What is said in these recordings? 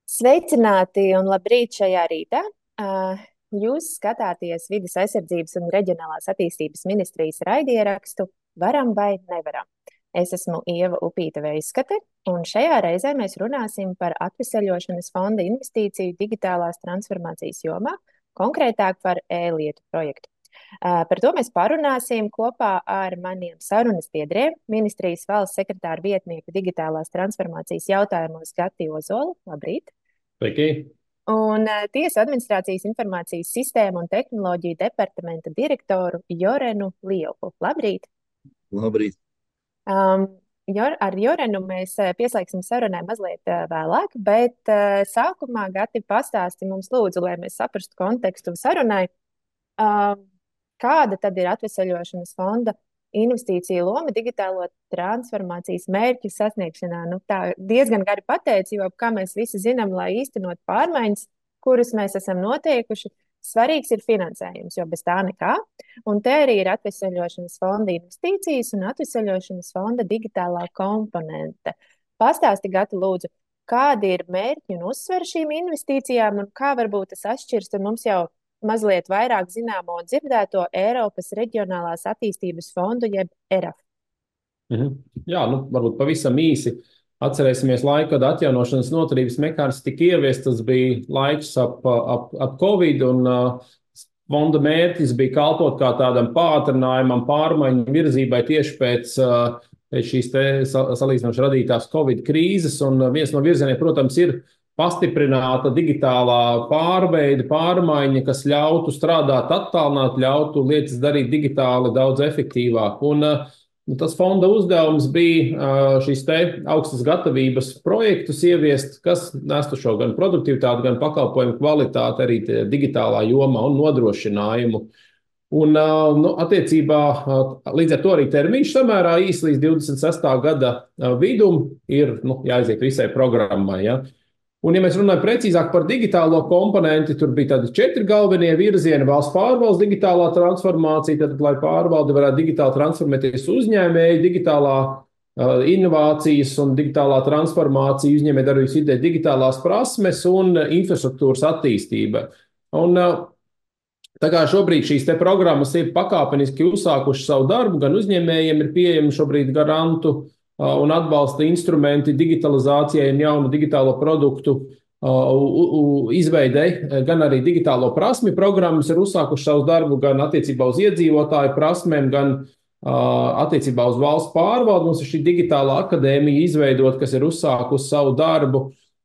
Sveicināti un labrīt šajā rītā. Jūs skatāties Vides aizsardzības un reģionālās attīstības ministrijas raidierakstu Varam vai nevaram. Es esmu Ieva Upīta Veiskate, un šajā reizē mēs runāsim par atveseļošanas fonda investīciju digitālās transformācijas jomā, konkrētāk par e-lietu projektu. Par to mēs parunāsim kopā ar maniem sarunas biedriem, ministrijas valsts sekretāra vietnieku digitālās transformācijas jautājumos Gati Ozolu. Labrīt! Sveiki! Un Tiesu administrācijas informācijas sistēmu un tehnoloģiju departamenta direktoru Jorenu Liepu. Labrīt! Labrīt! Ar Jorenu mēs pieslēgsim sarunai mazliet vēlāk, bet sākumā Gati pastāsti mums lūdzu, lai mēs saprastu kontekstu sarunai. Kāda tad ir atveseļošanas fonda investīcija loma digitālo transformācijas mērķu sasniegšanā? Tā diezgan gari pateici, jo, kā mēs visi zinām, lai īstenot pārmaiņas, kuras mēs esam noteikuši, svarīgs ir finansējums, jo bez tā nekā. Un te arī ir atveseļošanas fonda investīcijas un atveseļošanas fonda digitālā komponente. Pastāsti, Gati, lūdzu, kādi ir mērķi un uzsveri šīm investīcijām un kā varbūt tas atšķirs ar mums jau mazliet vairāk zināmo un dzirdēto Eiropas Reģionālās attīstības fondu, jeb ERAF. Jā, varbūt pavisam īsi atcerēsimies laiku, kad atjaunošanas noturības mehānisms tika ieviests. Tas bija laiks ap Covid, un fonda mērķis bija kalpot kā tādam pātrinājumam, pārmaiņu virzībai tieši pēc šīs salīdzinoši radītās Covid krīzes. Un viens no virzieniem, protams, ir pastiprināta digitālā pārveide, pārmaiņa, kas ļautu strādāt attālināt, ļautu lietas darīt digitāli daudz efektīvāk. Un tas fonda uzdevums bija šīs te augstas gatavības projektus ieviest, kas nestu šo gan produktivitāti, gan pakalpojumu kvalitāti arī digitālā jomā un nodrošinājumu. Un attiecībā līdz ar to arī termiņš samērā īs līdz 26. gada vidum ir jāaiziet visai programmai. Ja? Un, ja mēs runājam precīzāk par digitālo komponenti, tur bija tādi 4 galvenie virzieni: valsts pārvaldes digitālā transformācija, tad, lai pārvalde varētu digitāli transformēties uzņēmēji, digitālā inovācijas un digitālā transformācija, uzņēmējdarbības vidē, digitālās prasmes un infrastruktūras attīstība. Un tā kā šobrīd šīs te programmas ir pakāpeniski uzsākuši savu darbu, gan uzņēmējiem ir pieejami šobrīd garantu un atbalsta instrumenti digitalizācijai un jaunu digitālo produktu izveidei, gan arī digitālo prasmi programmas ir uzsākuši savu darbu gan attiecībā uz iedzīvotāju prasmēm, gan attiecībā uz valsts pārvaldi. Mums ir šī digitālā akadēmija izveidot, kas ir uzsākusi savu darbu,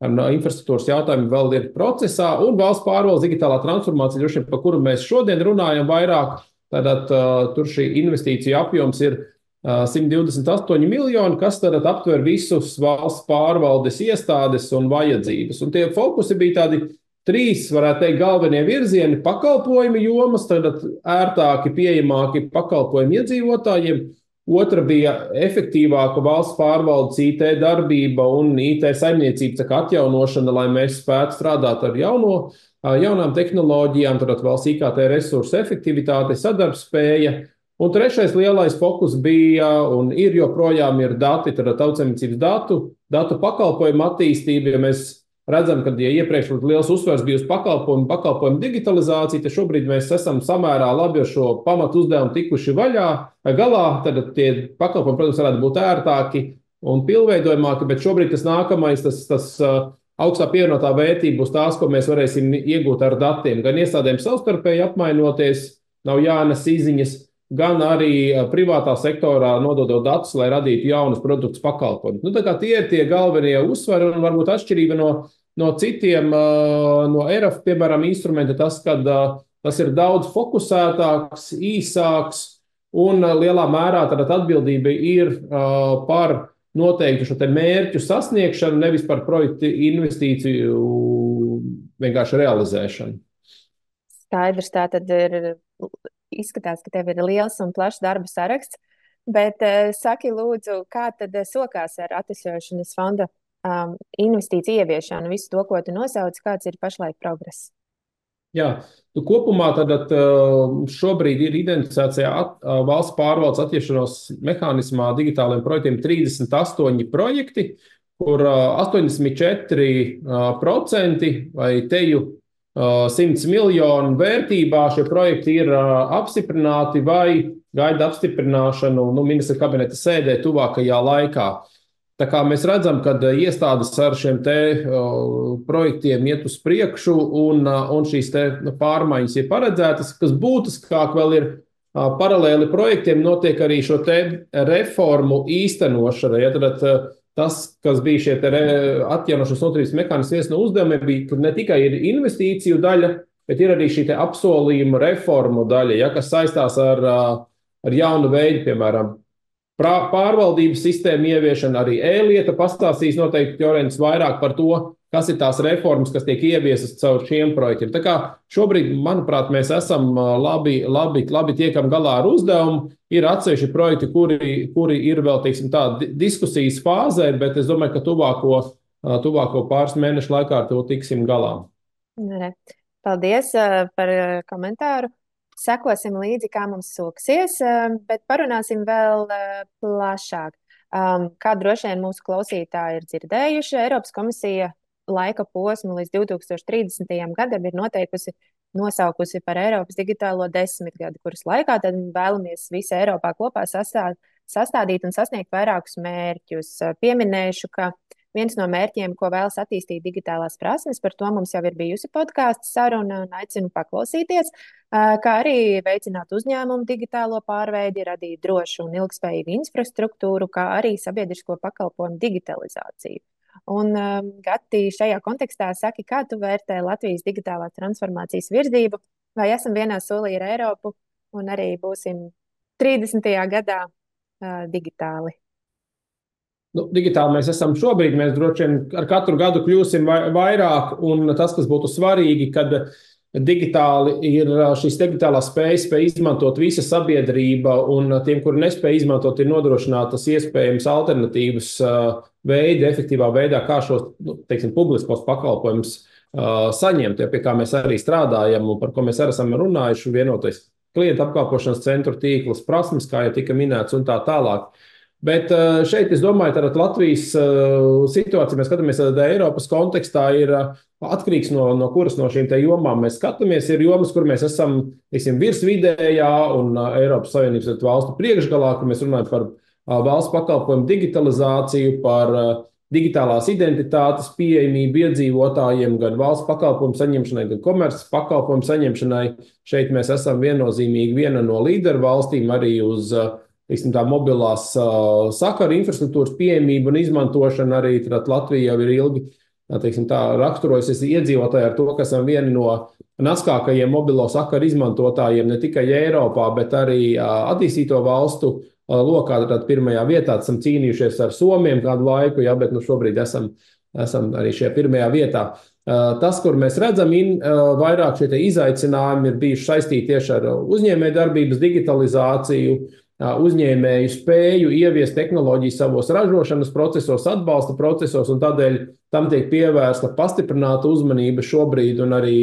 un infrastruktūras jautājumi vēl ir procesā, un valsts pārvaldes digitālā transformācija, droši vien, par kuru mēs šodien runājam vairāk, tātad tur šī investīcija apjoms ir 128 miljoni, kas tad aptver visus valsts pārvaldes iestādes un vajadzības. Un tie fokusi bija tādi 3, varētu teikt, galvenie virzieni: pakalpojumi jomas, tad ērtāki, pieejamāki pakalpojumi iedzīvotājiem. Otra bija efektīvāka valsts pārvaldes IT darbība un IT saimniecības atjaunošana, lai mēs spētu strādāt ar jaunām tehnoloģijām, tad valsts IKT resursu efektivitāte, sadarbspēja. Un trešais lielais fokus bija un ir joprojām ir dati, tad tautsaimniecības datu pakalpojumu attīstība. Ja mēs redzam, ka iepriekš liels uzsvers bija uz pakalpojumu digitalizāciju, tad šobrīd mēs esam samērā labi ar šo pamatu uzdevumu tikuši galā. Tad tie pakalpojumi, protams, varētu būt ērtāki un pilnveidojamāki, bet šobrīd tas nākamais, tas augstā pievienotā vērtība būs tās, ko mēs varēsim iegūt ar datiem. Gan iestādēm savstarpēji apmainoties, nav jānes izziņas, gan arī privātā sektorā nododot datus, lai radītu jaunus produktus pakalpojumus. Tā kā tie ir tie galvenie uzsvari, un varbūt atšķirība no citiem, no ERAF, piemēram, instrumenta, tas, kad tas ir daudz fokusētāks, īsāks, un lielā mērā tad atbildība ir par noteiktu šo te mērķu sasniegšanu, nevis par projektu investīciju vienkārši realizēšanu. Skaidrs, tā tad ir. Izskatās, ka tev ir liels un plašs darba saraksts, bet saki lūdzu, kā tad sokās ar atveseļošanas fonda investīciju ieviešanu, visu to, ko tu nosauci, kāds ir pašlaik progress? Jā, kopumā tad šobrīd ir identificēts valsts pārvaldes atjaunošanas mehānismā digitāliem projektiem 38 projekti, kur 84% vai teju 100 miljonu vērtībā šie projekti ir apstiprināti vai gaida apstiprināšanu ministra kabineta sēdē tuvākajā laikā. Tā kā mēs redzam, ka iestādes ar šiem projektiem iet uz priekšu un šīs pārmaiņas ir paredzētas, kas būtiskāk vēl ir paralēli projektiem notiek arī šo reformu īstenošana. Ja, tad tas, kas bija šie atjaunošanas nodarbības mehānismi, viens no uzdevumiem bija, kur ne tikai ir investīciju daļa, bet ir arī šī apsolījuma reformu daļa, ja, kas saistās ar jaunu veidu, piemēram, pārvaldības sistēmu ieviešanu, arī e-lieta pastāstīs noteikti Jorens vairāk par to, kas ir tās reformas, kas tiek ieviesas caur šiem projektiem. Tā kā šobrīd, manuprāt, mēs esam labi tiekam galā ar uzdevumu. Ir atsevišķi projekti, kuri ir vēl, teiksim tā, diskusijas fāzē, bet es domāju, ka tuvāko pāris mēnešu laikā ar to tiksim galā. Paldies par komentāru. Sekosim līdzi, kā mums soksies, bet parunāsim vēl plašāk. Kā droši vien mūsu klausītāji ir dzirdējuši, Eiropas komisija laika posmu līdz 2030. gadam ir nosaukusi par Eiropas digitālo desmitgadi, kuras laikā tad vēlamies visi Eiropā kopā sastādīt un sasniegt vairākus mērķus. Pieminēšu, ka viens no mērķiem, ko vēlas attīstīt digitālās prasmes, par to mums jau ir bijusi podkāstu saruna un aicinu paklausīties, kā arī veicināt uzņēmumu digitālo pārveidi, radīt drošu un ilgspējīgu infrastruktūru, kā arī sabiedrisko pakalpojumu digitalizāciju. Un, Gati, šajā kontekstā saki, kā tu vērtē Latvijas digitālās transformācijas virzību, vai esam vienā solī ar Eiropu un arī būsim 30. gadā digitāli? Digitāli mēs esam šobrīd, mēs droši vien ar katru gadu kļūsim vairāk, un tas, kas būtu svarīgi, kad digitāli ir šīs digitālās spējas izmantot visa sabiedrība, un tiem, kuri nespēja izmantot, ir nodrošinātas iespējams alternatīvas veidi, efektīvā veidā, kā šos, teiksim, publiskos pakalpojumus saņemt, pie kā mēs arī strādājam un par ko mēs arī esam runājuši, vienotais klientu apkalpošanas centru tīkls, prasmes, kā jau tika minēts, un tā tālāk. Bet šeit, es domāju, tad Latvijas situācija, mēs skatāmies, tad Eiropas kontekstā ir atkarīgs no kuras no šīm te jomām mēs skatāmies. Ir jomas, kur mēs esam, teiksim, virsvidējā un Eiropas Savienības valstu priekšgalā, kur mēs runājam par valsts pakalpojumu digitalizāciju, par digitālās identitātes pieejamību iedzīvotājiem, gan valsts pakalpojumu saņemšanai, gan komerces pakalpojumu saņemšanai. Šeit mēs esam viennozīmīgi viena no līderu valstīm arī uz tā mobilās sakaru infrastruktūras pieejamību un izmantošana. Arī Latvija jau ir ilgi raksturojusies iedzīvotāji ar to, ka esam vieni no naskākajiem mobilo sakaru izmantotājiem ne tikai Eiropā, bet arī attīstīto valstu lokā. Tad pirmajā vietā esam cīnījušies ar Somiem kādu laiku, ja, bet šobrīd esam arī šajā pirmajā vietā. Tas, kur mēs redzam, vairāk šie izaicinājumi ir bijuši saistīti tieši ar uzņēmējdarbības digitalizāciju, uzņēmēju spēju ieviest tehnoloģiju savos ražošanas procesos, atbalsta procesos, un tādēļ tam tiek pievērsta pastiprināta uzmanība šobrīd, un arī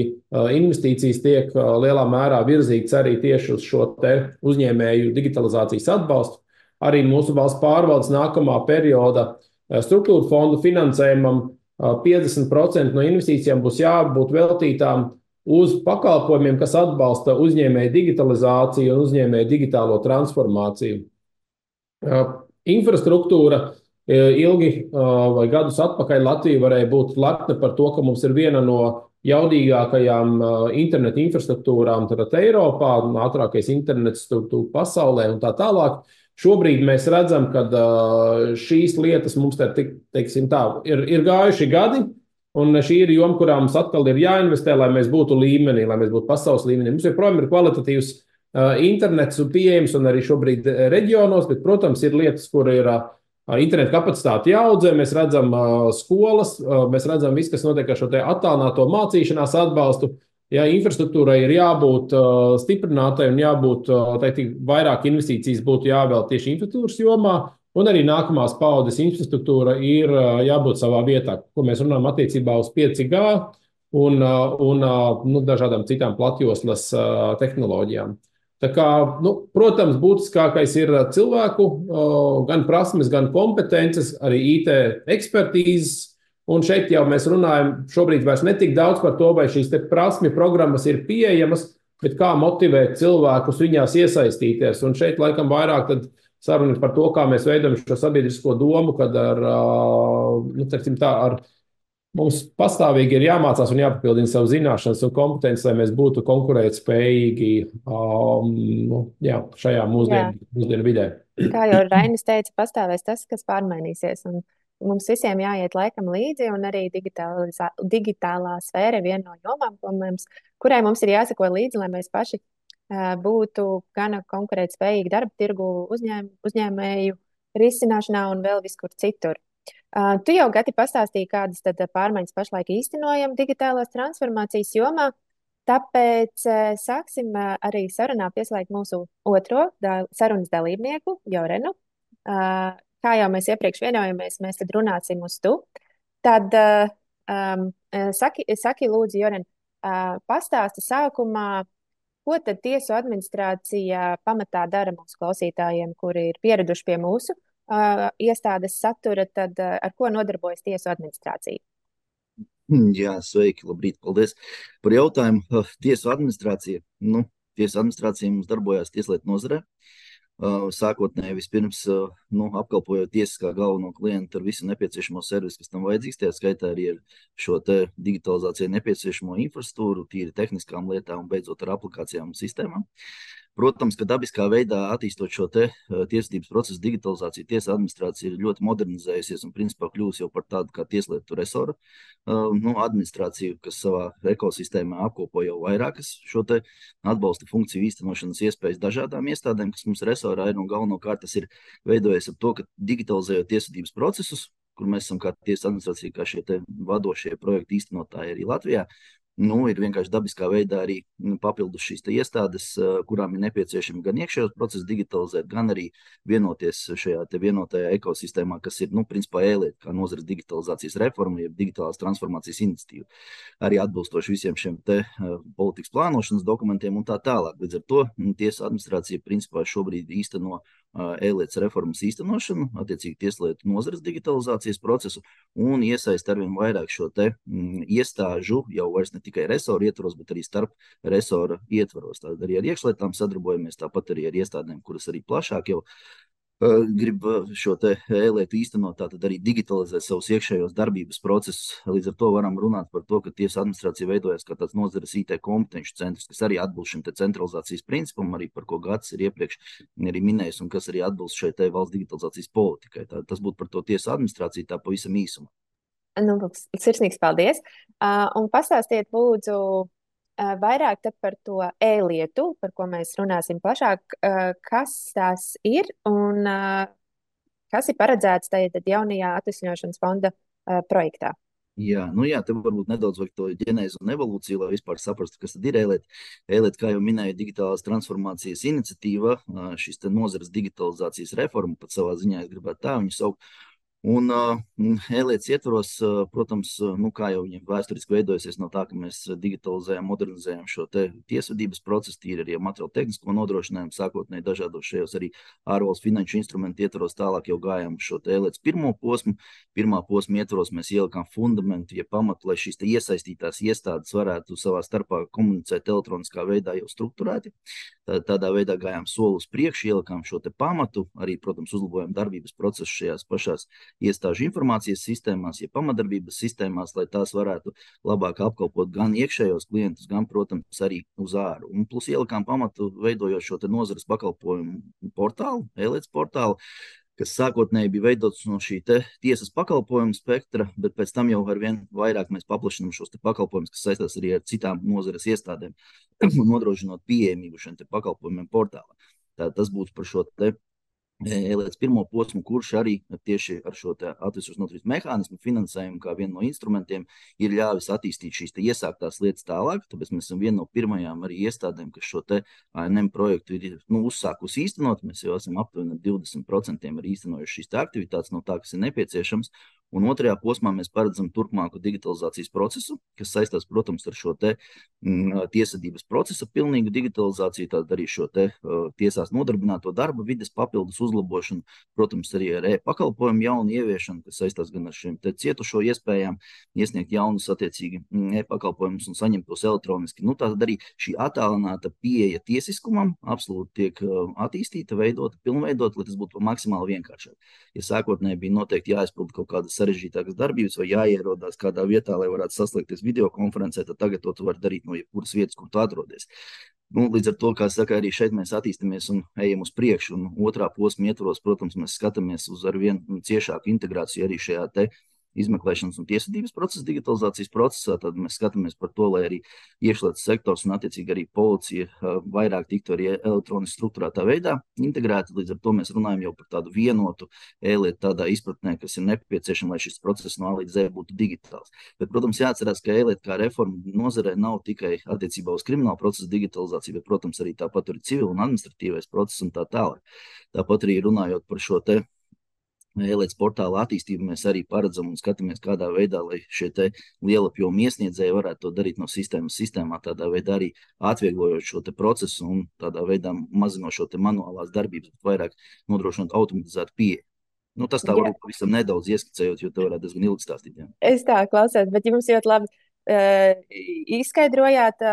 investīcijas tiek lielā mērā virzītas arī tieši uz šo te uzņēmēju digitalizācijas atbalstu. Arī mūsu valsts pārvaldes nākamā perioda struktūra fondu finansējumam 50% no investīcijām būs jābūt veltītām uz pakalpojumiem, kas atbalsta uzņēmēju digitalizāciju un uzņēmēju digitālo transformāciju. Infrastruktūra ilgi vai gadus atpakaļ Latvija varēja būt lepna par to, ka mums ir viena no jaudīgākajām interneta infrastruktūrām Eiropā, ātrākais internets pasaulē un tā tālāk. Šobrīd mēs redzam, ka šīs lietas mums ir gājuši gadi. Un šī ir joma, kurā mums atkal ir jāinvestē, lai mēs būtu līmenī, lai mēs būtu pasaules līmenī. Mums joprojām ir kvalitatīvs internets un pieejams un arī šobrīd reģionos, bet, protams, ir lietas, kur ir interneta kapacitāte jāaudzē. Mēs redzam skolas, mēs redzam visu, kas notiek ar šo te attālināto mācīšanās atbalstu. Ja infrastruktūrai ir jābūt stiprinātai un jābūt, vairāk investīcijas būtu jāvēl tieši infrastruktūras jomā. Un arī nākamās paudzes infrastruktūra ir jābūt savā vietā, ko mēs runājam attiecībā uz 5G un dažādām citām platjoslas tehnoloģijām. Tā kā, protams, būtiskākais ir cilvēku gan prasmes, gan kompetences, arī IT ekspertīzes. Un šeit jau mēs runājam šobrīd vairs ne tik daudz par to, vai šīs prasmju programmas ir pieejamas, bet kā motivēt cilvēkus viņās iesaistīties. Un šeit laikam vairāk saruna par to, kā mēs veidojam šo sabiedrisko domu, kad ar mums pastāvīgi ir jāmācās un jāpapildina savu zināšanas un kompetences, lai mēs būtu konkurētspējīgi šajā mūsdienu vidē. Kā jau Rainis teica, pastāvēs tas, kas pārmainīsies. Un mums visiem jāiet laikam līdzi, un arī digitālā sfēra ir viena no jomām, kurai mums ir jāseko līdzi, lai mēs paši būtu gan konkurētspējīgi darba tirgu uzņēmēju risināšanā un vēl viskur citur. Tu jau, Gati, pastāstīji, kādas tad pārmaiņas pašlaik īstenojam digitālās transformācijas jomā. Tāpēc sāksim arī sarunā pieslēgt mūsu otro sarunas dalībnieku, Jorenu. Kā jau mēs iepriekš vienojamies, mēs tad runāsim uz tu. Tad saki lūdzu, Joren, pastāsti sākumā, ko tad tiesu administrācija pamatā dara mūsu klausītājiem, kuri ir pieraduši pie mūsu iestādes satura, tad ar ko nodarbojas tiesu administrācija? Jā, sveiki, labrīt, paldies par jautājumu. Tiesu administrācija. Tiesu administrācija mums darbojās tieslietu nozarē. Sākotnēji vispirms apkalpojot tiesas kā galveno klientu ar visu nepieciešamo servisu, kas tam vajadzīgs, tajā skaitā arī ar šo te digitalizācijai nepieciešamo infrastruktūru, tīri tehniskām lietām un beidzot ar aplikācijām un sistēmām. Protams, ka dabiskā veidā attīstot šo te tiesvedības procesu digitalizāciju, tiesa administrācija ir ļoti modernizējusies un principā kļūst jau par tādu kā tieslietu resora administrāciju, kas savā ekosistēmā apkopo jau vairākas šo te atbalsta funkciju īstenošanas iespējas dažādām iestādēm, kas mums resorā ir, un galvenokārt tas ir veidojies ap to, ka digitalizējot tiesvedības procesus, kur mēs esam kā tiesa administrācija, kā šie te vadošie projektu īstenotāji arī Latvijā, ir vienkārši dabiskā veidā arī papildus šīs iestādes, kurām ir nepieciešami gan iekšējos procesus digitalizēt, gan arī vienoties šajā te vienotajā ekosistēmā, kas ir, principā e-lieta, kā nozares digitalizācijas reforma, jeb digitālās transformācijas iniciatīva. Arī atbilstoši visiem šiem te politikas plānošanas dokumentiem un tā tālāk. Līdz ar to tiesa administrācija principā šobrīd īsteno e-lietas reformas īstenošanu, attiecīgi tieslietu nozares digitalizācijas procesu un iesaist arvien vairāk šo te iestāžu, jau vairs ne tikai resoru ietvaros, bet arī starp resora ietvaros. Tātad arī ar iekšlietām sadarbojamies, tāpat arī ar iestādēm, kuras arī plašāk jau grib šo te e-lietu īstenot, tātad arī digitalizēt savus iekšējos darbības procesus. Līdz ar to varam runāt par to, ka tiesa administrācija veidojas kā tāds nozares IT kompetenci centrs, kas arī atbilst šim te centralizācijas principam, arī par ko Gatis ir iepriekš arī minējis, un kas arī atbilst šai te valsts digitalizācijas politikai. Tas būtu par to tiesa administrāciju tā pavisam īsumā. Sirsnīgs paldies. Un pastāstiet lūdzu vairāk par to e-lietu, par ko mēs runāsim plašāk, kas tās ir un kas ir paredzēts tajā jaunajā atvesļošanas fonda projektā. Jā, te varbūt nedaudz vajag to ģenēzi un evolūciju, lai vispār saprastu, kas tad ir e-lieta. E-lieta, kā jau minēju, digitālās transformācijas iniciatīva, šis te nozares digitalizācijas reforma, pat savā ziņā es gribētu tā viņu saukt. Un e-lietas ietvaros, protams, kā jau viņiem vēsturiski veidojusies no tā, ka mēs digitalizējam, modernizējam šo te tiesvedības procesu, tīri arī materiālu tehnisko nodrošinājumu, sākotnēji dažādos šajos arī ārvalstu finanšu instrumentu ietvaros, tālāk jau gājām šo te e-lietas pirmo posmu. Pirmā posma ietvaros mēs ielikām fundamentu, pamatu, lai šīs te iesaistītās iestādes varētu savā starpā komunicēt elektroniskā veidā jau strukturēti. Tādā veidā gājām soli uz priekšu, ielikām šo te pamatu, arī, protams, uzlabojam darbības procesu šajās pašās iestāžu informācijas sistēmās, pamatdarbības sistēmās, lai tās varētu labāk apkalpot gan iekšējos klientus, gan, protams, arī uz āru. Un plus ielikām pamatu, veidojot šo te nozares pakalpojumu portālu, e-lietas portālu, kas sākotnēji bija veidots no šī te tiesas pakalpojumu spektra, bet pēc tam jau arvien vairāk mēs paplašinām šos te pakalpojumus, kas saistās arī ar citām nozares iestādēm, nodrošinot pieejamību šiem te pakalpojumiem portālā. Tas būtu par šo te e-lietas pirmo posmu, kurš arī tieši ar šo atvesļošanas noturības mehānismu finansējumu kā vienu no instrumentiem ir ļāvis attīstīt šīs te iesāktās lietas tālāk, tāpēc mēs esam viena no pirmajām arī iestādēm, kas šo te ANM projektu ir uzsākusi īstenot. Mēs jau esam aptuveni 20% arī īstenojuši šīs te aktivitātes no tā, kas ir nepieciešams, Un otrajā posmā mēs paredzam turpmāku digitalizācijas procesu, kas saistās, protams, ar šo tiesvedības procesa pilnīgu digitalizāciju, tad arī šo tiesās nodarbināto darba vides papildus uzlabošanu, protams, arī ar e-pakalpojumu jaunu ieviešanu, kas saistās gan ar šiem cietušo iespējām, iesniegt jaunus attiecīgi e-pakalpojumus un saņemt tos elektroniski. Tātad arī šī attālināta pieeja tiesiskumam absolūti tiek attīstīta, veidota, pilnveidota, lai tas būtu maksimāli vienkāršāk. Ja sākotnēji bija noteikti jāizpilda kaut kādas sarežģītākas darbības vai jāierodās kādā vietā, lai varētu saslēgties videokonferencē, tad tagad to var darīt no jebkuras vietas, kur tu atrodies. Līdz ar to, kā saka, arī šeit mēs attīstamies un ejam uz priekšu. Un otrā posma ietvaros, protams, mēs skatāmies uz arvien ciešāku integrāciju arī šajā izmeklēšanas un tiesvedības procesa digitalizācijas procesā. Tad mēs skatāmies par to, lai arī iekšlietas sektors un attiecīgi arī policija vairāk tiktu arī elektroniski strukturētā veidā integrēta. Līdz ar to mēs runājam jau par tādu vienotu e-lietu tādā izpratnē, kas ir nepieciešama, lai šis process no A līdz Z būtu digitāls. Bet, protams, jāatcerās, ka e-lieta kā reforma nozarē nav tikai attiecībā uz kriminālu procesu digitalizāciju, bet, protams, arī tāpat ir civil un administratīvais process un tā tālāk. Tāpat arī runājot par šo e-lietas portāla attīstību, mēs arī paredzam un skatāmies, kādā veidā, lai šie lielapjomu iesniedzēji varētu to darīt no sistēmas sistēmā, tādā veidā arī atvieglojot šo procesu un tādā veidā mazinot šo manuālās darbības, bet vairāk nodrošinot automatizētu pieeju. Tas tā varbūt pavisam nedaudz ieskicējot, jo te varētu diezgan ilgi stāstīt. Jā. Es tā klausos, bet jums ļoti labi izskaidrojāt,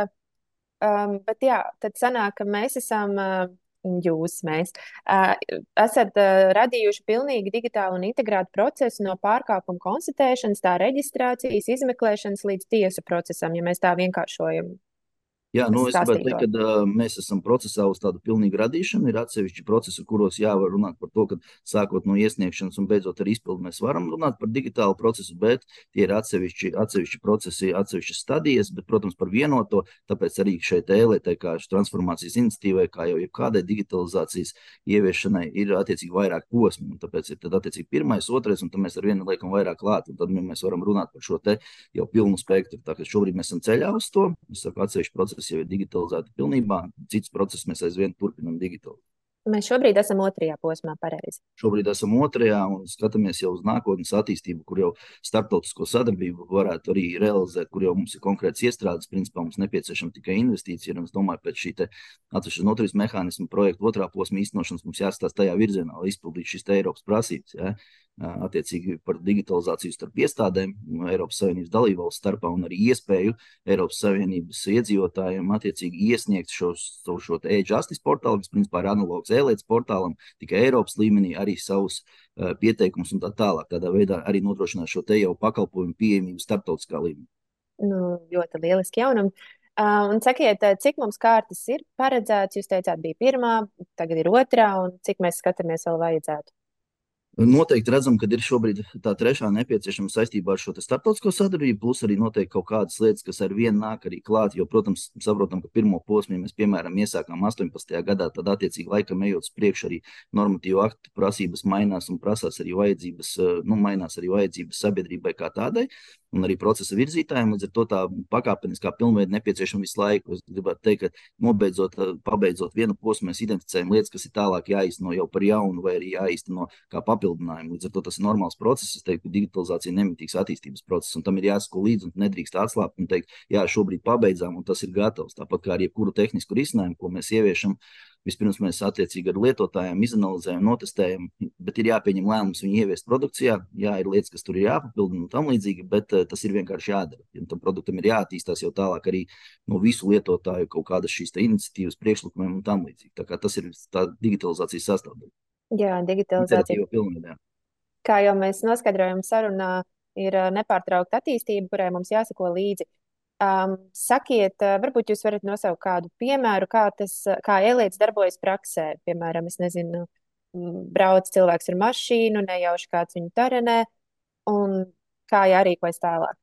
bet jā, tad sanāk, ka mēs esam... Mēs esat radījuši pilnīgi digitālu un integrētu procesu no pārkāpuma konstatēšanas, tā reģistrācijas, izmeklēšanas līdz tiesu procesam, ja mēs tā vienkāršojam. Jā, es gribētu teikt, ka mēs esam procesā uz tādu pilnīgu radīšanu. Ir atsevišķi procesi, kuros jāvar runāt par to, ka sākot no iesniegšanas un beidzot ar izpildu mēs varam runāt par digitālu procesu, bet tie ir atsevišķi procesi, atsevišķas stadijas, bet, protams, par vienoto, tāpēc arī šeit e-lietai kā transpormācijas iniciatīvai, kā jau jebkādai digitalizācijas ieviešanai, ir attiecīgi vairāk posmi. Un tāpēc ir tad attiecīgi pirmais, otrais, un tad mēs ar vienu liekam vairāk klāt, un tad mēs varam runāt par šo jau pilnu spektru. Tā kā šobrīd mēs esam ceļā uz to, es saku, atsevišķi procesi jau ir digitalizēti pilnībā, cits process mēs aizvien turpinām digitalizēt. Mēs šobrīd esam otrajā posmā, pareizi. Šobrīd esam otrajā un skatāmies jau uz nākotnes attīstību, kur jau starptautisko sadarbību varētu arī realizēt, kur jau mums ir konkrēts iestrādes. Principā mums nepieciešama tikai investīcija, un es domāju, pēc šī atsevišķas noturības mehānismu projektu otrā posma īstenošanas mums jāstāsta tajā virzienā, lai izpildītu šīs Eiropas prasības. Ja? Attiecīgi par digitalizāciju starp iestādēm, Eiropas Savienības dalībvalstu starpā un arī iespēju Eiropas Savienības iedzīvotājiem attiecīgi iesniegt šo e-justice portālu, kas principā ir analogs e-lietas portālam, tikai Eiropas līmenī arī savus pieteikumus un tā tālāk. Tādā veidā arī nodrošināt šo jau pakalpojumu pieejamību starptautiskā līmenī. Ļoti lieliski jaunumi. Un sakiet, cik mums kārtas ir paredzēts? Jūs teicāt, bija pirmā, tagad ir otrā, un cik mēs skatāmies vēl vajadzētu? Noteikti redzam, ka ir šobrīd tā trešā nepieciešama saistībā ar šo starptautisko sadarbību, plus arī noteikti kaut kādas lietas, kas ar vienu nāk arī klāt, jo, protams, saprotam, ka pirmo posmu mēs, piemēram, iesākām 18. gadā, tad attiecīgi laikam ejot uz priekšu arī normatīvu aktu prasības mainās un prasās arī vajadzības, mainās arī vajadzības sabiedrībai kā tādai, un arī procesa virzītājiem, līdz ar to tā pakāpeniskā pilnveida nepieciešama visu laiku. Es gribētu teikt, ka pabeidzot vienu posmu, mēs identificējam lietas, kas ir tālāk jāīsteno jau par jaunu vai arī jāīsteno kā papildinājumu. Līdz ar to tas ir normāls process. Es teiktu, ka digitalizācija ir nemitīgs attīstības process, un tam ir jāsako līdzi un nedrīkst atslābt un teikt, jā, šobrīd pabeidzām un tas ir gatavs. Tāpat kā ar jebkuru tehnisku risinājumu, ko mēs ieviešam, vispirms mēs attiecīgi ar lietotājiem izanalizējam, notestējam, bet ir jāpieņem lēmums viņu ieviest produkcijā. Jā, ir lietas, kas tur ir jāpapildina un tam līdzīgi, bet tas ir vienkārši jādara. Ja tam produktam ir jāattīstās jau tālāk arī no visu lietotāju kaut kādas šīs iniciatīvas priekšlikumiem un tam līdzīgi. Tā kā tas ir tā digitalizācijas sastāvdaļa. Jā, digitalizācija. Pilnībā. Kā jau mēs noskaidrojam sarunā, ir nepārtraukta attīstība, kurai mums jāsako līdzi. Sakiet, varbūt jūs varat nosaukt kādu piemēru, kā e-lietas darbojas praksē. Piemēram, es nezinu, brauc cilvēks ar mašīnu, nejauši kāds viņu tarenē, un kā jārīkojas tālāk.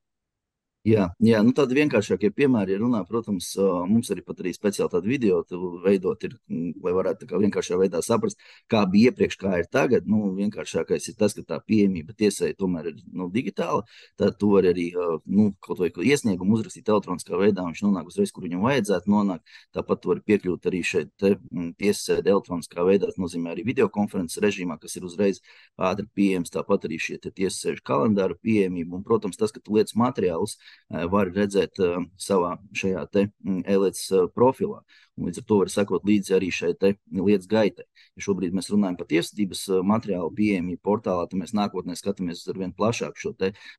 Jā, nu tādi vienkāršākie piemēri, ja runā, protams, mums arī speciāli tādu video veidot, lai varētu tā kā vienkāršā veidā saprast, kā bija iepriekš, kā ir tagad. Nu, vienkāršākais ir tas, ka tā pieejamība tiesai tomēr ir digitāla. Tad tu vari arī kaut vai iesniegumu uzrakstīt elektroniskā veidā, viņš nonāk uzreiz, kur viņam vajadzētu nonākt. Tāpat tu vari piekļūt arī šeit tiesai elektroniskā veidā, tas nozīmē arī videokonferences režīmā, kas ir uzreiz ātri pieejams. Tāpat arī šie tiesas kalendāru pieejamība un, protams, tas, ka tu lietas materiālus var redzēt savā šajā e-lietas profilā. Un līdz ar to var sekot līdzi arī šai lietas gaitai. Ja šobrīd mēs runājam par tiesvedības materiālu pieejamību portālā, tad mēs nākotnē skatāmies ar vien plašāku šo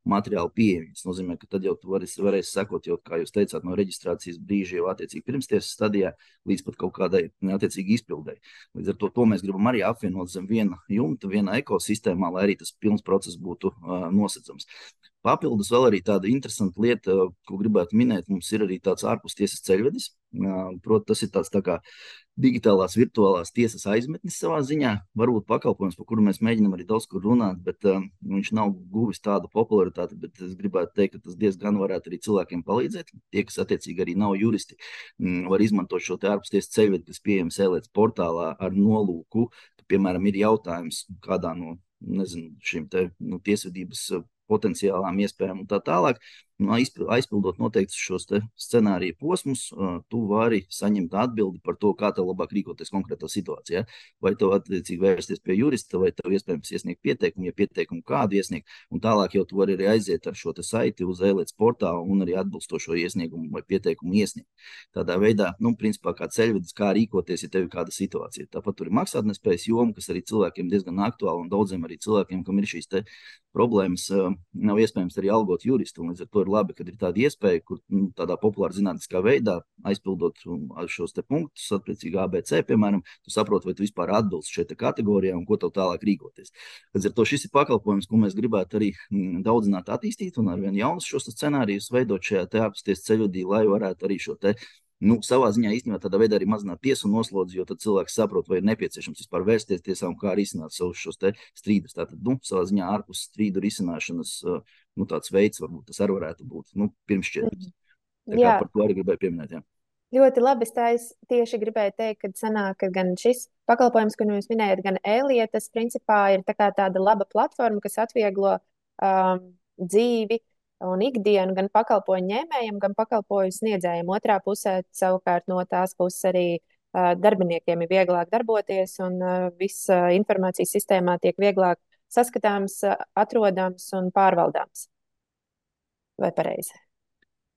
materiālu pieejamību. Tas nozīmē, ka tad jau tu varēsi sekot, jau, kā jūs teicāt, no reģistrācijas brīža jau attiecīgi pirmstiesas stadijā līdz pat kaut kādai attiecīgi izpildēji. Līdz ar to mēs gribam arī apvienot zem viena jumta, viena ekosistēmā, lai arī tas pilns process būtu nosacams. Papildus vēl arī tāda interesanta lieta, ko gribētu minēt, mums ir arī tāds ārpustiesas ceļvedis. Proti, tas ir tāds tā kā digitālās virtuālās tiesas aizmetnis savā ziņā. Varbūt pakalpojums, par kuru mēs mēģinām arī daudz kur runāt, bet viņš nav guvis tādu popularitāti, bet es gribētu teikt, ka tas diezgan varētu arī cilvēkiem palīdzēt. Tie, kas attiecīgi arī nav juristi, var izmantot šo ārpustiesas ceļvedi, kas pieejams e-lietas portālā ar nolūku, ka, piemēram, ir jautājums kādā no, šīm tiesvedības potenciālām iespējām un tā tālāk. Aizpildot noteikti šos scenāriju posmus, tu vari saņemt atbildi par to, kā tev labāk rīkoties konkrētā situācijā. Vai tev attiecīgi vērsties pie jurista, vai tev iespējams iesniegt pieteikumu, ja pieteikumu kādu iesniegt, un tālāk jau tu vari arī aiziet ar šo saiti uz e-lietas portālu un arī atbilstošo iesniegumu vai pieteikumu iesniegt. Tādā veidā, principā kā ceļvedis, kā rīkoties, ja tev ir kāda situācija. Tāpat tur ir maksātnespējas joma, kas arī cilvēkiem diezgan aktuāla un daudziem arī cilvēkiem, kam ir šīs problēmas, nav iespējams arī algot juristu, un līdz ar to ir labi, kad ir tāda iespēja, kur tādā populāra zinātniskā veidā aizpildot šos punktus, attiecīgi ABC, piemēram, tu saproti, vai tu vispār atbilst šai kategorijai un ko tev tālāk rīkoties. Līdz ar to šis ir pakalpojums, ko mēs gribētu arī daudzināt attīstīt un arvien jaunus šos scenārijus veidot šajā ārpustiesas ceļvedī, lai varētu arī šo savā ziņā īstenībā tādā veidā arī mazināt tiesu noslodzi, jo tad cilvēks saprot, vai ir nepieciešams vispār vērsties tiesā un kā risināt savus šos strīdus. Tātad, savā ziņā ārpus strīdu risināšanas tāds veids, varbūt tas arī varētu būt pirmšķietams. Tā kā par to arī gribēju pieminēt. Jā. Ļoti labi. Es tieši gribēju teikt, ka sanāk, ka gan šis pakalpojums, ko jūs minējat, gan e-lietas, principā ir tāda laba platforma, kas atvieglo dzīvi un ikdienu gan pakalpojumu ņēmējiem, gan pakalpojumu sniedzējiem. Otrā pusē savukārt no tās puses arī darbiniekiem ir vieglāk darboties un viss informācijas sistēmā tiek vieglāk saskatāms, atrodams un pārvaldāms. Vai pareizi?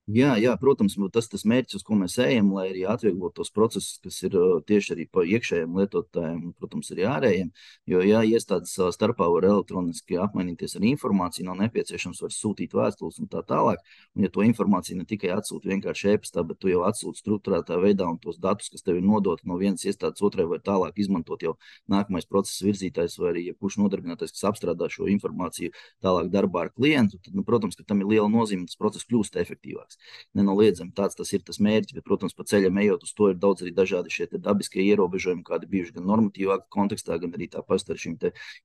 Jā, protams, tas mērķis, uz ko mēs ejam, lai arī atvieglot tos procesus, kas ir tieši arī pa iekšējiem lietotājiem un, protams, arī ārējiem. Jo, ja iestādes savā starpā var elektroniski apmainīties ar informāciju, nav nepieciešams var sūtīt vēstules un tā tālāk. Un, ja to informāciju ne tikai atsūta vienkārši e-pastā, bet tu jau atsūti strukturētā veidā un tos datus, kas tev ir nodoti no vienas iestādes otrai, var tālāk izmantot jau nākamais procesa virzītājs vai arī kurš nodarbinātais, kas apstrādā šo informāciju tālāk darbā ar klientu, tad, protams, ka tam ir liela nozīme, tas process kļūst efektīvāks. Nenoliedzami tas ir tas mērķis, bet, protams, pa ceļam ejot uz to ir daudz arī dažādi šie dabiskie ierobežojumi, kādi bijuši gan normatīvā kontekstā, gan arī tāpat ar šīm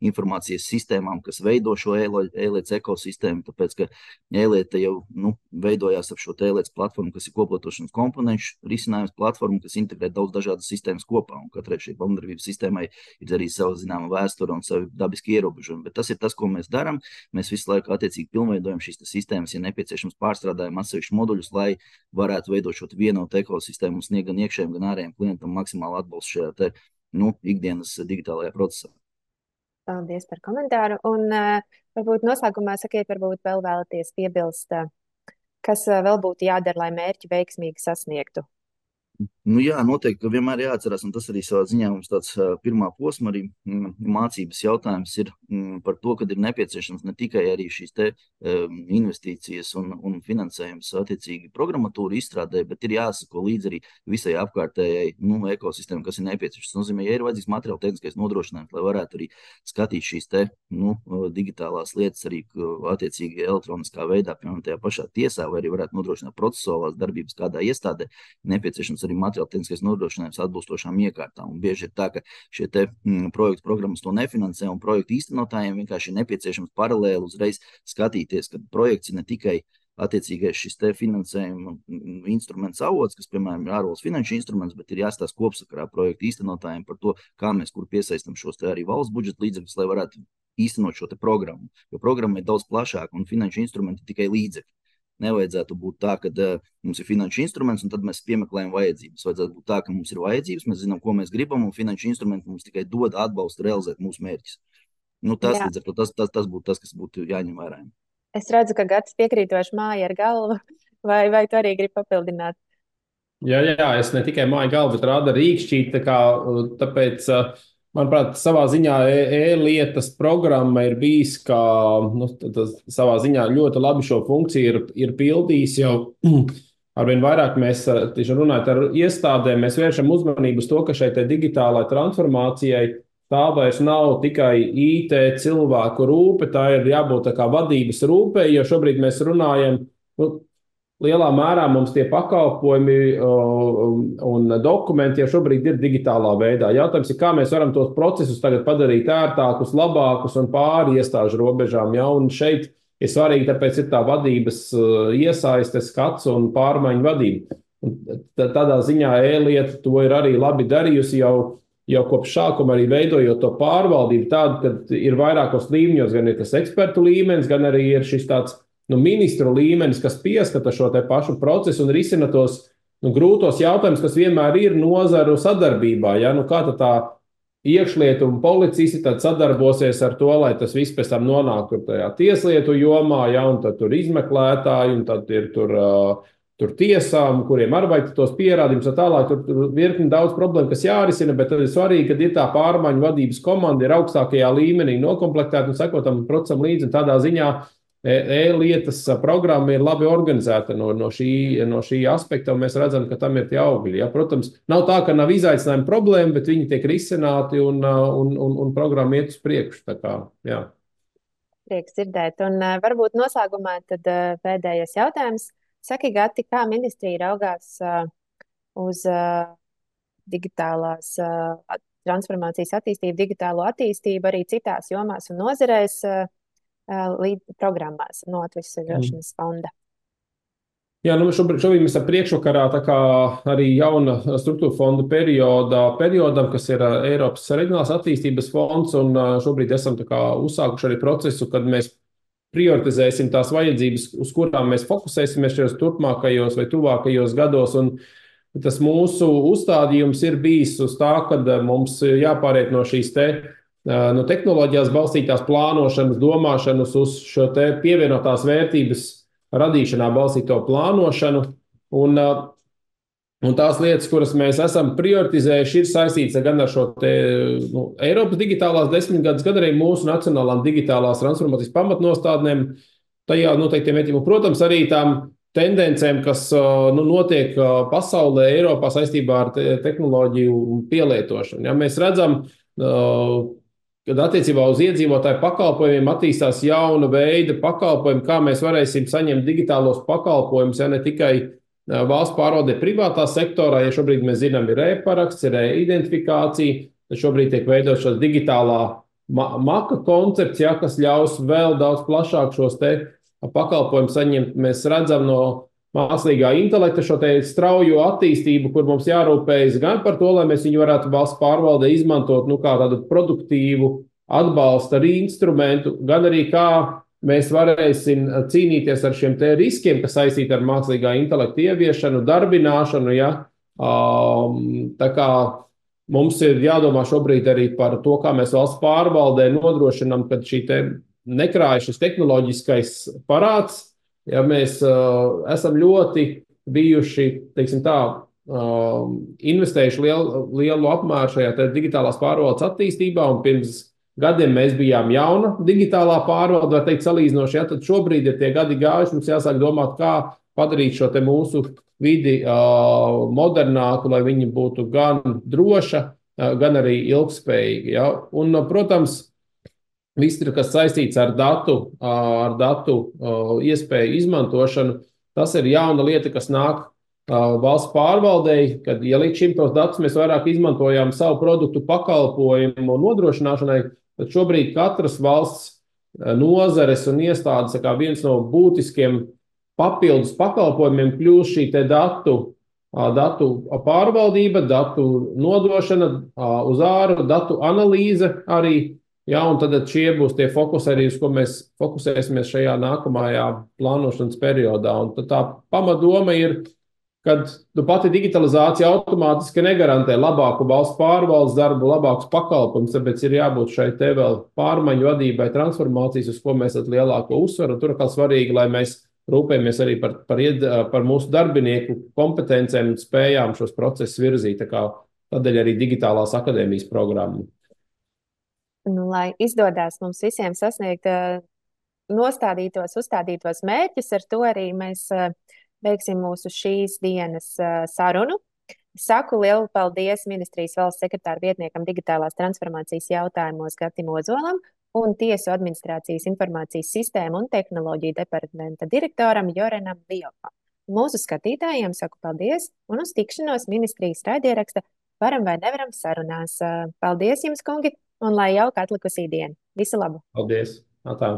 informācijas sistēmām, kas veido šo e-lietas ekosistēmu, tāpēc, ka e-lieta jau veidojās ap šo e-lietas platformu, kas ir koplietošanas komponenšu risinājums platformu, kas integrē daudz dažādas sistēmas kopā, un katrai šī pamatdarbības sistēmai ir arī sava zināma vēsture un savi dabiski ierobežojumi, bet tas ir tas, ko mēs darām. Mēs visu laiku attiecīgi pilnveidojam šīs sistēmas, ja nepieciešams pārstrādājam atsevišķus moduļus, lai varētu veidot šo vienotu ekosistēmu un sniegt gan iekšējiem, gan ārējiem klientam maksimālu atbalstu šajā ikdienas digitālajā procesā. Paldies par komentāru. Un varbūt noslēgumā sakiet, varbūt vēl vēlaties piebilst, kas vēl būtu jādara, lai mērķi veiksmīgi sasniegtu. Jā, noteikti, ka vienmēr jāatcerās, un tas arī savā ziņā mums tāds pirmā posma arī mācības jautājums ir par to, ka ir nepieciešams ne tikai arī šīs investīcijas un finansējums attiecīgi programmatūra izstrādē, bet ir jāsako līdz arī visai apkārtējai ekosistēmai, kas ir nepieciešams. Tas nozīmē, ja ir vajadzīgs materiāla tehniskais nodrošinājums, lai varētu arī skatīt šīs digitālās lietas arī attiecīgi elektroniskā veidā, piemēram, tajā pašā tiesā, vai arī varētu nodrošināt procesuālās darbības kādā iestādē, nepieciešams arī materiāla tehniskais nodrošinājums atbilstošām iekārtām. Un bieži ir tā, ka šie projektu programmas to nefinansē, un projektu īstenotājiem vienkārši ir nepieciešams paralēli uzreiz skatīties, ka projekts ir ne tikai attiecīgais šis te finansējuma instruments avots, kas, piemēram, ir ārvalstu finanšu instruments, bet ir jāstāsta kopsakarā projektu īstenotājiem par to, kā mēs kur piesaistam šos te arī valsts budžeta līdzekļus, lai varētu īstenot šo te programmu. Jo programma ir daudz plašāka un finanšu instrumenti tikai līdzekļi. Nevajadzētu būt tā, ka mums ir finanšu instruments un tad mēs piemeklējam vajadzības. Vajadzētu būt tā, ka mums ir vajadzības, mēs zinām, ko mēs gribam, un finanšu instrumenti mums tikai dod atbalstu realizēt mūsu mērķus. Tas, līdz ar to, tas būtu tas, kas būtu jāņem vērā. Es redzu, ka Gatis piekrītoši māja ar galvu, vai tu arī gribi papildināt? Jā, es ne tikai māju galvu, bet rāda rīkšķīt, tāpēc, manuprāt, savā ziņā e-lietas programma ir bijis, kā savā ziņā ļoti labi šo funkciju ir pildījis jau arvien vairāk mēs tieši runājot ar iestādēm, mēs vēršam uzmanību uz to, ka šai digitālai transformācijai tā vairs nav tikai IT cilvēku rūpe, tā ir jābūt tā kā vadības rūpē, jo šobrīd mēs runājam, lielā mērā mums tie pakalpojumi un dokumenti jau šobrīd ir digitālā veidā. Jautājums ir, kā mēs varam tos procesus tagad padarīt ērtākus, labākus un pāri iestāžu robežām. Ja? Un šeit ir svarīgi, tāpēc ir tā vadības iesaiste, skats un pārmaiņu vadība. Un tādā ziņā e-lieta to ir arī labi darījusi jau kopš sākuma, arī veidojot to pārvaldību tādu, ka ir vairākos līmeņos, gan ir tas ekspertu līmenis, gan arī ir šis tāds ministru līmenis, kas pieskata šo te pašu procesu un risina tos grūtos jautājumus, kas vienmēr ir nozaru sadarbībā. Ja? Kā tā iekšlietu un policisti tad sadarbosies ar to, lai tas viss pēc tam nonāktu tajā tieslietu jomā, ja? Un tad tur izmeklētāji, un tad ir tur tiesām, kuriem arī vajag tos pierādījumus un tālāk. Tur virkni daudz problēmu, kas jārisina, bet tad ir svarīgi, ka ir tā pārmaiņu vadības komanda, ir augstākajā līmenī nokomplektēta un sekotam procesam līdzi. Un tādā ziņā e-lietas programma ir labi organizēta no šī aspekta, un mēs redzam, ka tam ir tie augļi. Ja? Protams, nav tā, ka nav izaicinājumi problēma, bet viņi tiek risināti un programma iet uz priekšu. Tā kā, jā. Prieks dzirdēt. Un varbūt noslēgumā tad pēdējais jautājums. Saki, Gati, kā ministrija raugās uz digitālās transformācijas attīstību, digitālo attīstību arī citās jomās un nozarēs programmās no Atvesaļošanas fonda? Jā, šobrīd mēs ar priekšvakarā tā kā arī jauna struktūra fonda periodam, kas ir Eiropas reģionālās attīstības fonds, un šobrīd esam tā kā uzsākuši arī procesu, kad mēs prioritizēsim tās vajadzības, uz kurām mēs fokusēsimies šajos turpmākajos vai tuvākajos gados, un tas mūsu uzstādījums ir bijis uz tā, kad mums jāpāriet no šīs no tehnoloģijās balstītās plānošanas, domāšanas uz šo pievienotās vērtības radīšanā balstīto plānošanu, un tās lietas, kuras mēs esam prioritizējuši, ir saistītas gan ar šo Eiropas digitālās 10 gadus, gan arī mūsu nacionālām digitālās transformācijas pamatnostādnēm, tajā noteiktiem mērķiem, un, protams, arī tām tendencēm, kas notiek pasaulē, Eiropā saistībā ar tehnoloģiju pielietošanu. Ja, mēs redzam, kad attiecībā uz iedzīvotāju pakalpojumiem attīstās jauna veida pakalpojumi, kā mēs varēsim saņemt digitālos pakalpojumus, ja ne tikai valsts pārvaldē privātā sektorā, ja šobrīd mēs zinām, ir e-paraksts, ir e-identifikācija, tad šobrīd tiek veidot šos digitālā maka koncepts, ja, kas ļaus vēl daudz plašāk šos pakalpojumus saņemt. Mēs redzam no mākslīgā intelekta šo straujo attīstību, kur mums jārūpējas gan par to, lai mēs viņu varētu valsts pārvaldē izmantot kā tādu produktīvu atbalsta arī instrumentu, gan arī kā mēs varēsim cīnīties ar šiem riskiem, kas saistīti ar mākslīgā intelekta ieviešanu, darbināšanu. Ja? Tā kā mums ir jādomā šobrīd arī par to, kā mēs valsts pārvaldē nodrošinām, kad šī nekrāja šis tehnoloģiskais parāds. Ja mēs esam ļoti bijuši, teiksim tā, investējuši lielu apmēru šajā digitālās pārvaldes attīstībā, un pirms gadiem mēs bijām jauna digitālā pārvalde, var teikt, salīdzinoši, ja, tad šobrīd ir tie gadi gājuši, mums jāsāk domāt, kā padarīt šo mūsu vidi modernāku, lai viņi būtu gan droša, gan arī ilgspējīga. Ja. Un, protams, viss, kas saistīts ar datu iespēju izmantošanu, tas ir jauna lieta, kas nāk valsts pārvaldei, kad, ja līdz šim tos datus mēs vairāk izmantojām savu produktu pakalpojumu nodrošināšanai, tad šobrīd katras valsts nozares un iestādes kā viens no būtiskiem papildus pakalpojumiem kļūst šī te datu pārvaldība, datu nodošana uz āru, datu analīze arī. Jā, un tad šie būs tie fokusi arī, uz ko mēs fokusēsimies šajā nākamajā plānošanas periodā. Un tad tā pamatdoma ir, kad pati digitalizācija automātiski negarantē labāku valsts pārvaldes darbu, labākus pakalpojumus, tāpēc ir jābūt šai te vēl pārmaiņu vadībai, transformācijas, uz ko mēs esam lielāko uzsvaru. Tur kā svarīgi, lai mēs rūpējamies arī par mūsu darbinieku kompetencēm un spējām šos procesus virzīt. Tādēļ arī digitālās akadēmijas programma. Lai izdodas mums visiem sasniegt uzstādītos mērķus, ar to arī mēs beigsim mūsu šīs dienas sarunu. Saku lielu paldies ministrijas valsts sekretāra vietniekam digitālās transformācijas jautājumos Gatim Ozolam un Tiesu administrācijas informācijas sistēmu un tehnoloģiju departamenta direktoram Jorenam Viopam. Mūsu skatītājiem saku paldies un uz tikšanos ministrijas raidieraksta Varam vai nevaram sarunās. Paldies jums, kungi, un lai jauka atlikusī diena. Visu labu! Paldies! Atā.